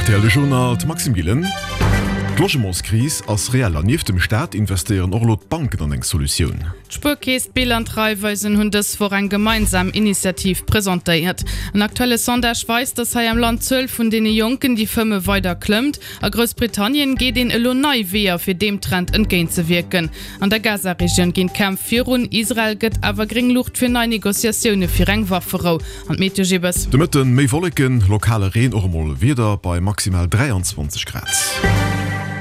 Rtl De Journal, d'Maxime Gillen. D'Logementskris ass reell an nieft dem Staat investéieren och elo d'Banken an eng Solutioun. D'Spuerkeess, d'Bill an d'Raiffeisen hunn dës Woch eng gemeinsam Initiativ presentéiert. En aktuelle Sondage weist, datt hei am Land d'Zuel vun deene Jonken, déi fëmme, weider klëmmt. A Groussbritannien geet een elo nei Weeër, fir deem Trend entgéintzewierken. An der Gaza-Regioun ginn d'Kämpf virun, Israel gëtt awer gréng Luucht fir nei Negociatioune fir eng Wafferou. An d'Meteo Gibbes. De Mëtten méi Wolleken, lokale Reen, och emol Wieder bei maximal 23 Grad.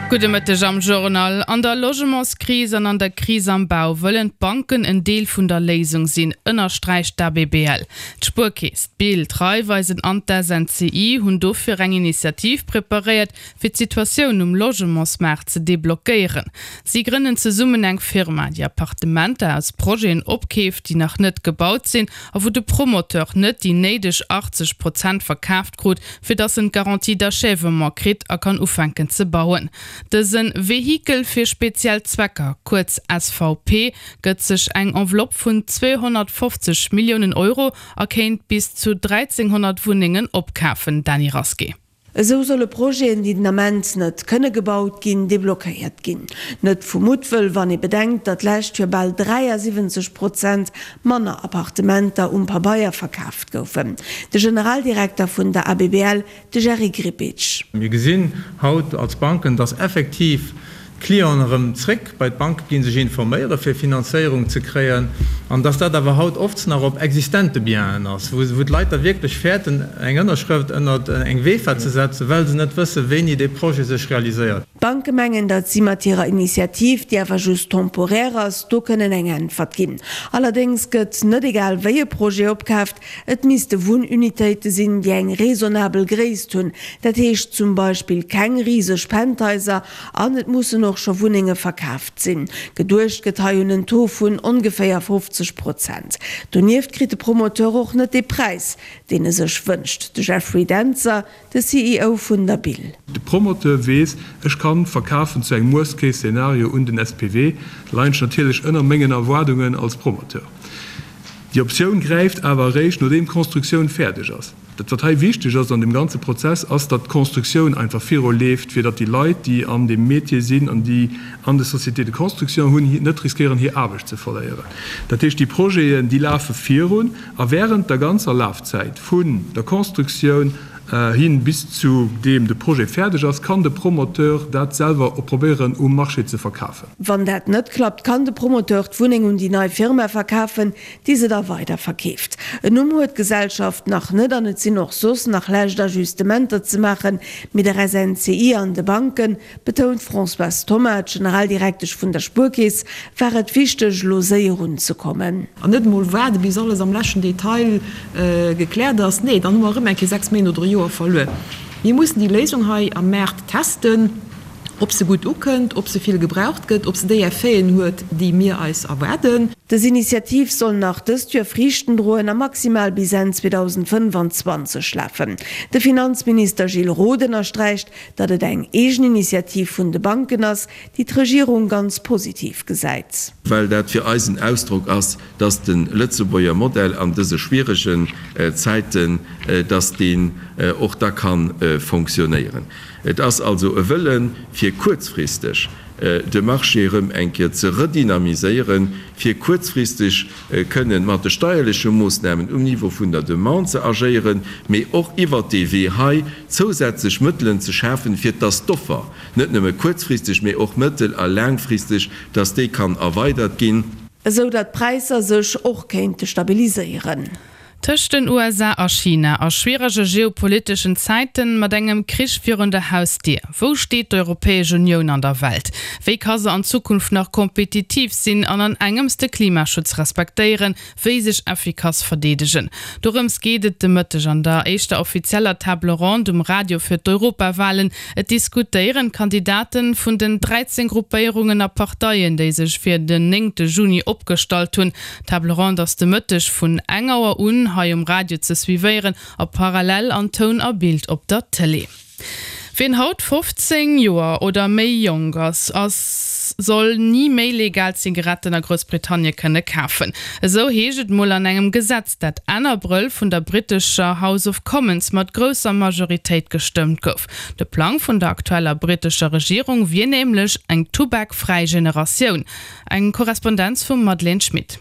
Gudde Mëtteg am Journal. An der Logementskris an an der Kris am Bau wëllen d'Banken en Deel vun der Léisung sinn, ënnersträicht d'ABBL. D'Spuerkeess, d'BIL, d'Raiffeisen an d'SNCI hunn dofir eng Initiativ preparéiert, fir d'Situatioun um Logementsmaart ze deblockéieren. Si grënnen zesummen eng Firma, déi Appartementer aus Projeten opkeeft, déi nach net gebaut sinn a wou de Promoteur net déi néideg 80 Prozent verkaaft krut, fir datt en d'Garantie d'achèvement kritt a kann ufänken ze bauen. Dëse Vehikel fir speziell Zwecker, kuerz SVP, gëtt sech eng Enveloppe vun 250 Milliounen Euro a kéint bis zu 1.300 Wunnengen opkafen. Dany Rasqué. Esou solle Projeten, déi den Ament net kënne gebaut ginn, deblockéiert ginn. Net vu Muttwëll, wann ee bedenkt, datt d'lescht Joer bal 73 Prozent manner Appartementer um Pabeier verkaaft goufen. De Generaldirekter vun der ABBL, de Jerry Grbic. Mir gesinn haut als Banken, datt effektiv d'Clienten erëm zréck bei d'Banke ginn, sech informéiere fir Finanzéierung ze kréien, an dass dat awer haut oft nach op existente Bienen ass, wou d'Leit da wierklech fäerten, eng Ënnerschrëft ënnert eng VEFA ze setzen, well se net wëssen, wéini dee Projet sech realiséiert. D'Banke mengen, datt si mat hirer Initiativ, déi awer just temporaire ass, do kënnen eng Äntwert ginn. Allerdéngs gëtt net egal wéi e Projet opkaaft, Et misste Wunnunitéite sinn, déi eng raisonnabel Gréisst hunn, dat heescht zum Beispill keng riseg Penthaiser, an et mussen och scho Wunnenge verkaaft sinn. Geduecht gëtt hei un en Taux vun ongeféier 50 Prozent. Donieft kritt de Promoteur och net dee Präis, deen e sech wënscht. De Jeffrey Dentzer, de CEO vun der Bill. De Promoteur weess, ech kann verkafen zu engem Worst Case Szenario un den SPV, da leien ech natierlech ënner mengen Erwaardungen als Promoteur. Déi Optioun gräift awer eréischt, nodeem d'Constructioun fäerdeg ass. Dat, wat hei wichteg ass an deem ganze Prozess, ass, datt d'Constructioun einfach viru leeft, fir datt déi Leit, déi an deem Métier sinn an déi an de Sociétés de construction hunn, net riskéieren, hir Aarbecht ze verléieren. Dat heescht, déi Projeten, déi lafe virun a während der ganzer Lafzäit vun der Constructioun hin bis zu deem de Projet fäerdeg ass, kann de Promoteur dat selwer och probéieren um Marché ze verkafen. Wann dat net klappt, kann de Promoteur d'Wunneng un déi nei Firma verkafen, déi se da weider verkeeft. En Numm huet d'Gesellschaft nach net an et sinn och soss nach lescht Ajustementer ze maachen, mee der SNCI an de Banken, betount d'Françoise Thoma, d'Generaldirektesch vun der Spuerkeess, war et wichteg, elo séier unzekommen. An net emol waarde bis alles am leschten Detail gekläert ass. Nee, dann hu mer erëm eng Kéier 6 Méint oder e Joer verluer. Mir mussen déi Léisung hei am Maart testen, ob se gutt ukënnt, ob se vill gebraucht gëtt, ob se déi Effeten huet, déi mir eis erwaarden. Dës Initiativ soll nach dëst Joer Friichten droen a maximal bis Enn 2025 lafen. De Finanzminister Gilles Roth ënnersträicht, datt et eng eegen Initiativ vun de Banken ass, déi d'Regierung ganz positiv gesäit. Well dat fir eis en Ausdrock ass, dass de Lëtzebuerger Modell an dëse schwieregen Zäiten, dass deen och da ka fonctionnéieren. Et ass also e Wëllen, fir kuerzfristeg de Marché erëm eng Kéier ze redynamiséieren, fir kuerzfristeg kënnen mat de steierleche Moosnamen um Niveau vun der Demande ze agéieren, mee och iwwert dee Wee hei zousätzlech Mëttelen ze schafen, fir dass d'Offer net nëmme kuerzfristeg, mee och mëttel a laangfristeg, dass déi kann erweidert ginn. Esou datt d'Präisser sech och kéinte stabiliséieren. Tëscht den USA a China, a schwierege geopoliteschen Zäiten, mat engem Krich virun der Hausdier, wou steet d'Europäesch Unioun an der Welt? Wéi ka se an Zukunft nach kompetitiv sinn an an engems de Klimaschutz respektéieren, wéi sech effikass verdeedegen? Dorëms geet et de Mëtteg an der éischter offizieller Table ronde um Radio fir d'Europawalen. Et diskutéieren d'Kandidate vun den 13 Gruppéierungen a Parteien, déi sech fir den néngte Juni opgestallt hunn. D'Table ronde ass de Mëtteg vun eng Auer un hei um Radio ze suivéieren a parallel an Toun a Bild op der Tëlee. Wien haut 15 Joer oder méi jonk ass, ass. ass, soll ni méi legal Zigaretten a Groussbritannie kënne kafen. Esou heescht et mol an engem Gesetz, dat Enn Abrëll vun der brittescher House of Commons mat grousser Majoritéit gestëmmt gouf. De Plang vun der aktueller brittescher Regierung wier nämlech eng tubakfräi Generatioun. Eng Korrespondenz vum Madeleine Schmit.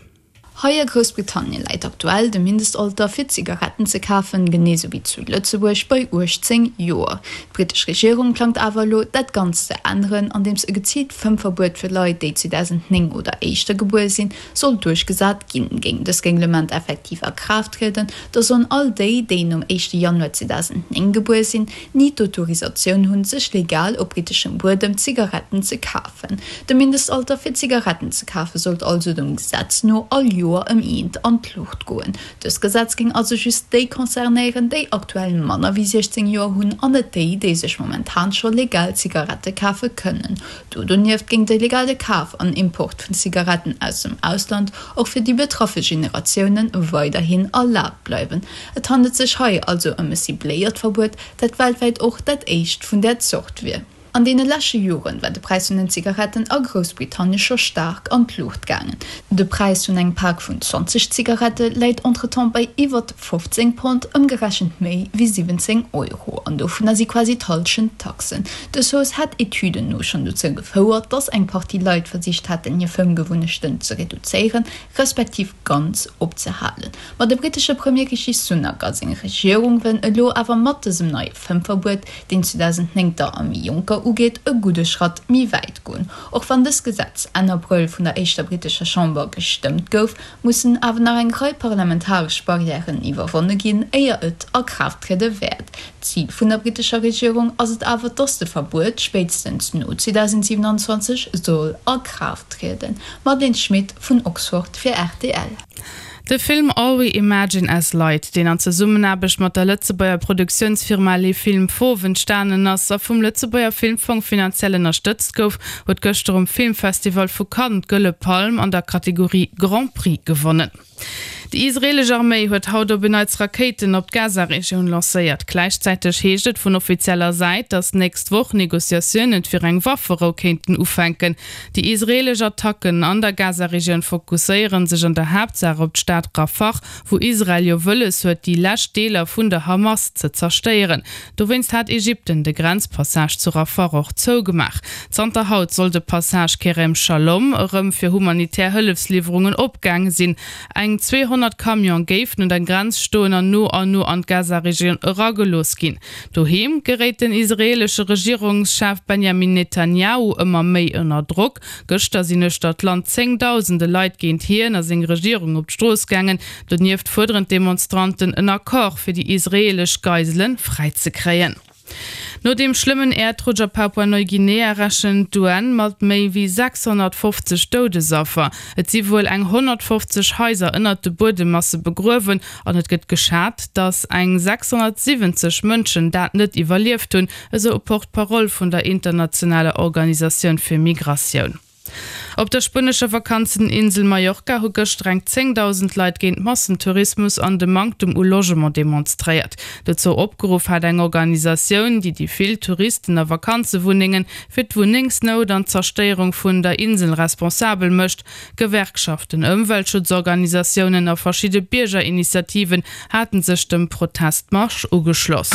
Hei a Groussbritannien läit aktuell de Mindestalter fir Zigaretten ze kafen, genee sou wéi zu Lëtzebuerg, bei 18 Joer. D'brittesch Regierung plangt awer elo, dat Ganzt ze änneren, andeems e geziilt Fëmmverbuet fir Leit, déi 2009 oder éischter gebuer sinn, soll duerchgesat ginn. Géing dëst Reglement effektiv a Kraaft trieden, da sollen all déi, déi nom éischte Januar 2009 gebuer sinn, ni d'Autorisatioun hunn, sech legal op britteschem Buedem Zigaretten ze kafen. De Mindestalter fir Zigaretten ze kafe sollt also dem Gesetz no all Joer ëm eent an d'Luucht goen. Dëst Gesetz géing also just déi concernéieren, déi aktuell manner wéi 16 Joer hunn an net déi, déi sech momentan scho legal Zigarette kafe kënnen. Do donieft géing de legale Kaf an Import vun Zigaretten aus dem Ausland och fir déi betraffe Generatioune weiderhin erlaabt bleiwen. Et handelt sech hei also ëm e cibléiert Verbuet, dat weltwäit och dat éischt vun där Zort wier. An deene lesche Joren war de Präis vun den Zigaretten a Groussbritannie scho staark an d'Luucht gaangen. De Präis vun engem Pak vun 20 Zigarette läit entretemps bei iwwert 15 Pond, ëmgerechent méi wéi 17 Euro, an dovunner si quasi d'Hallschent Taxen. Dës Hausse hätt Etüden no schonn dozou gefouert, datt eng Partie Leit versicht hätten, hir Fëmmgewunnechten ze reduzéieren, respektiv ganz opzehalen. Ma de brittesche Premier Rishi Sunak a seng Regierung wëllen elo awer mat dësem neie Fëmmverbuet, deen 2009 der a méi Jonker ugeet, e gudde Schratt méi wäit goen. Och wann dëst Gesetz Enn Abrëll vun der éischter brittescher Chamber gestëmmt gouf, mussen awer nach eng Rei parlamentaresch Barrièren iwwerwonne ginn, éier et a Kraaft triede wäert. D'Zil vun der brittescher Regierung ass et awer, dass de Verbuet spéitstens no 2027 soll a Kraaft trieden. Madeleine Schmit vun Oxford fir rtl. De Film All We Imagine As Light, deen an Zesummenaarbecht mat der Lëtzebuerger Produktiounsfirma Les Films Fauves entstanen ass a vum Lëtzebuerger Filmfong finanziell ënnerstëtzt gouf, huet gëschter um Filmfestival vu Cannes d'Gëlle Palm an der Kategorie Grand Prix gewonnen. Déi israeelesch Arméi huet haut op en Neits Rakéiten op d'Gaza-Regioun lancéiert. Gläichzäiteg heescht et vun offizieller Säit, datt d'nächst Woch Negociatioune fir eng Wafferou kéinten ufänken. Déi israeelesch Attacken an der Gaza-Regioun fokusséiere sech an der Haaptsaach op d'Stad Rafah, wou Israel jo wëlles huet, déi lescht Deeler vun der Hamas ze zerstéieren. Dowéinst hat Ägypten de Grenzpassage zu Rafah och zougemaach. Zanter haut soll de Passage Kerem Shalom erëm fir humanitär Hëllefsliwwerungen opgaange sinn. Eng 200 Camione géifen un der Grenz stoen an no an no an d'Gaza-Regioun eragelooss ginn. Doheem geréit den israeelesche Regierungschef Benjamin Netanjahu ëmmer méi ënner Drock. Gëschter sinn uechter d'Land zéngdausende Leit géint hien a seng Regierung op d'Strooss gaangen. Donieft fuerderen d'Demonstranten en Accord fir déi israeelesch Geisele fräizekréien. No deem schlëmmen Äerdrutsch a Papua-Neuguinea rechent d'UN mat méi wéi 650 Doudesaffer. Et si wuel eng 150 Haiser ënnert de Buedemmasse begruewen An et gëtt geschat, datt eng 670 Mënschen dat net iwwerlieft hunn, esou e Porte-parole vun der internationaler Organisatioun fir Migratioun. Op der spuenescher Vakanzeninsel Mallorca hu gëschter eng 10.000 Leit géint Massentourismus an de Manktem u Logement demonstréiert. Dozou opgeruff hat eng Organisatioun, déi déi vill Touristen a Vakanzewunnengen fir d'Wunnengsnout an d'Zerstéierung vun der Insel responsabel mécht. Gewerkschaften, Ëmweltschutzorganisatiounen a verschidde Biergerinitiativen haten sech dem Protestmarsch ugeschloss.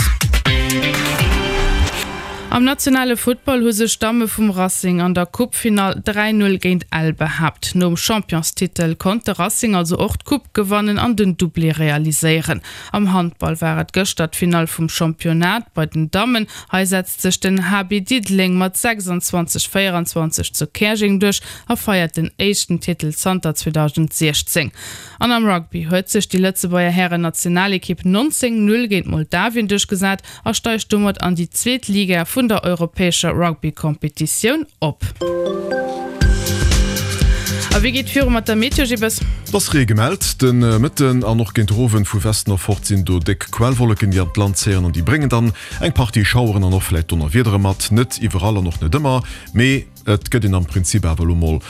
Am nationale Futtball hu sech d'Damme vum Racing an der Coupefinall 3, 0 géint Ell behaapt. Nom Championstitel konnt de Racing also och d'Coupe gewannen an den Doublé realiséieren. Am Handball war et gëschter d'Finall vum Championnat bei den Dammen. Hei setzt sech den HB Diddeleng mat 26, 24 zu Käerjeng duerch a feiert den éischten Titel zanter 2016. An am Rugby huet sech déi Lëtzebuerger Hären-Nationalekipp 19, 0 géint Moldawien duerchgesat a steigt domat an déi zweet Liga vun der europäescher Rugby-Competitioun op. A wéi geet viru mat der Meteo, Gibbes? Et ass Ree gemellt de Mëtten an och géint de Owend. Vu Westen erfort sinn do déck Quellwolleken, déi an d'Land zéien an déi bréngen dann eng Partie Schaueren an och vläit Donnerwiedere mat. Net iwwerall an och net ëmmer, mee. Et gëtt een am Prinzip awer elo mol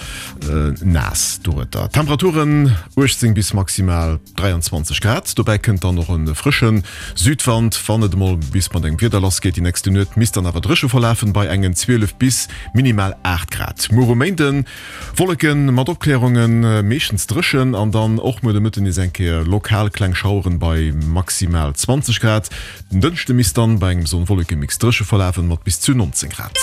naass dorueter. Temperaturen, 18 bis maximal 23 Grad. Dobäi kënnt dann och e frësche Südwand. Wann et emol bis mat engem Wieder lass geet déi nächste Nuet, misst dann awer dréche verlafen bei engen 12 bis minimal 8 Grad. Muer um Méinden Wolleken mat Opklärungen, meeschtens dréchen an dann och muer de Mëtten nees eng Kéier lokal kleng Schaueren bei maximal 20 Grad. Den Dënschde misst dann bei engem Sonn-Wolleke-Mix dréche verlafen mat bis zu 19 Grad.